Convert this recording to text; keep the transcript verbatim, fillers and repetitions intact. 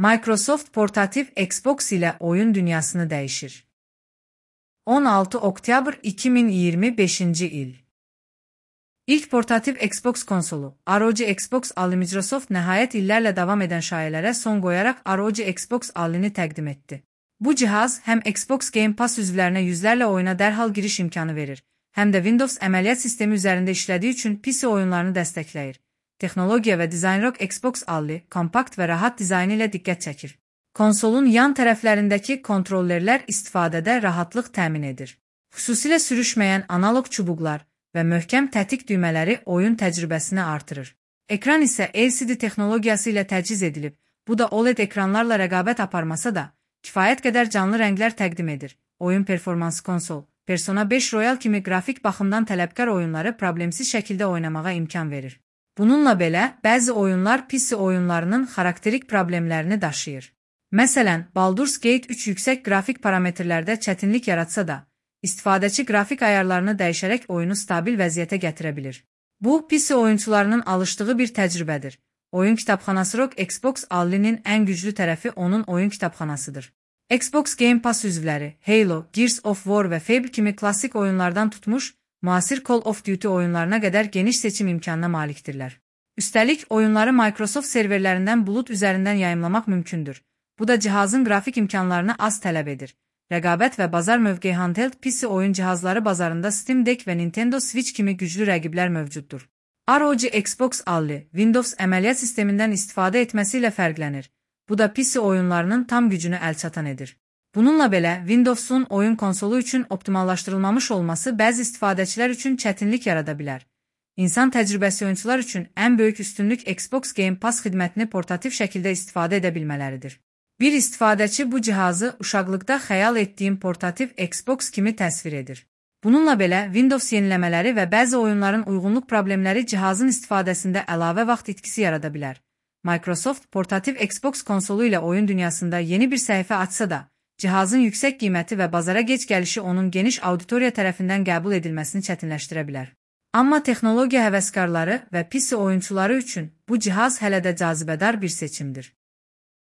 Microsoft portatif Xbox ile oyun dünyasını değişir. on altı oktyabr iki min iyirmi beşinci il. İlk portatif Xbox konsolu, R O G Xbox aldı. Microsoft nəhayət illərlə davam edən şayələrə son qoyaraq R O G Xbox Allini təqdim etdi. Bu cihaz həm Xbox Game Pass üzvlərinə yüzlərlə oyuna dərhal giriş imkanı verir, həm də Windows əməliyyat sistemi üzərində işlədiyi üçün P C oyunlarını dəstəkləyir. Texnologiya və dizaynı Xbox Alli, kompakt və rahat dizaynı ilə diqqət çəkir. Konsolun yan tərəflərindəki kontrollerlər istifadədə rahatlıq təmin edir. Xüsusilə sürüşməyən analog çubuqlar və möhkəm tətik düymələri oyun təcrübəsini artırır. Ekran isə L C D texnologiyası ilə təchiz edilib, bu da O L E D ekranlarla rəqabət aparmasa da, kifayət qədər canlı rənglər təqdim edir. Oyun performansı konsol, Persona beş Royal kimi qrafik baxımdan tələbkar oyunları problemsiz şəkildə oynamağa imkan verir. Bununla belə, bəzi oyunlar P C oyunlarının xarakterik problemlərini daşıyır. Məsələn, Baldur's Gate üç yüksək qrafik parametrlərdə çətinlik yaratsa da, istifadəçi qrafik ayarlarını dəyişərək oyunu stabil vəziyyətə gətirə bilir. Bu, P C oyunçularının alışdığı bir təcrübədir. Oyun kitabxanası R O G Xbox Allinin ən güclü tərəfi onun oyun kitabxanasıdır. Xbox Game Pass üzvləri Halo, Gears of War və Fable kimi klassik oyunlardan tutmuş, müasir Call of Duty oyunlarına qədər geniş seçim imkanına malikdirlər. Üstəlik, oyunları Microsoft serverlərindən bulut üzərindən yayımlamaq mümkündür. Bu da cihazın qrafik imkanlarını az tələb edir. Rəqabət və bazar mövqeyi handheld P C oyun cihazları bazarında Steam Deck və Nintendo Switch kimi güclü rəqiblər mövcuddur. R O G Xbox Alli, Windows əməliyyat sistemindən istifadə etməsi ilə fərqlənir. Bu da P C oyunlarının tam gücünü əlçatan edir. Bununla belə, Windows'un oyun konsolu üçün optimallaşdırılmamış olması bəzi istifadəçilər üçün çətinlik yarada bilər. İnsan təcrübəsi oyunçular üçün ən böyük üstünlük Xbox Game Pass xidmətini portativ şəkildə istifadə edə bilmələridir. Bir istifadəçi bu cihazı uşaqlıqda xəyal etdiyim portativ Xbox kimi təsvir edir. Bununla belə, Windows yeniləmələri və bəzi oyunların uyğunluq problemləri cihazın istifadəsində əlavə vaxt itkisi yarada bilər. Microsoft portativ Xbox konsolu ilə oyun dünyasında yeni bir səhifə açsa da, cihazın yüksək qiyməti və bazara gec gəlişi onun geniş auditoriya tərəfindən qəbul edilməsini çətinləşdirə bilər. Amma texnologiya həvəskarları və P C oyunçuları üçün bu cihaz hələ də cazibədar bir seçimdir.